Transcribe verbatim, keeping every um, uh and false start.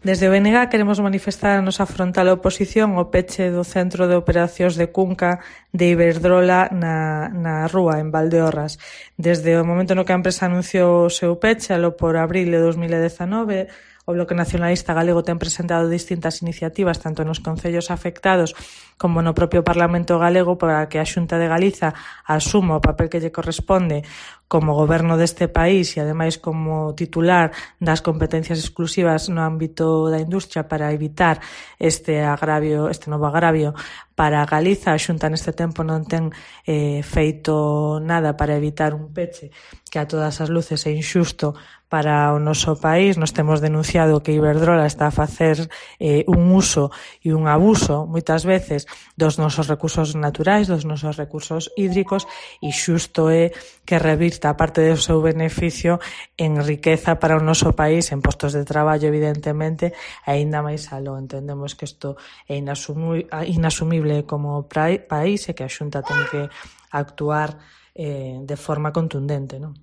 Desde o B N G queremos manifestar a nosa frontal oposición ao peche do Centro de Operacións de Cunca de Iberdrola na, na Rúa, en Valdeorras. Desde o momento no que a empresa anunciou o seu peche, alo por abril de dos mil dezanove, o Bloque Nacionalista Galego ten presentado distintas iniciativas tanto nos concellos afectados como no propio Parlamento Galego para que a Xunta de Galiza asuma o papel que lle corresponde como goberno deste país e ademais como titular das competencias exclusivas no ámbito da industria para evitar este agravio, este novo agravio para Galiza. A Xunta neste tempo non ten eh, feito nada para evitar un peche que a todas as luces é inxusto para o noso país. Nos temos denunciado que Iberdrola está a facer eh, un uso e un abuso moitas veces dos nosos recursos naturais, dos nosos recursos hídricos, e xusto é que revirta a parte do seu beneficio en riqueza para o noso país, en postos de traballo, evidentemente, e aínda máis aló. Entendemos que isto é inasumible como país e que a Xunta ten que actuar eh, de forma contundente, non?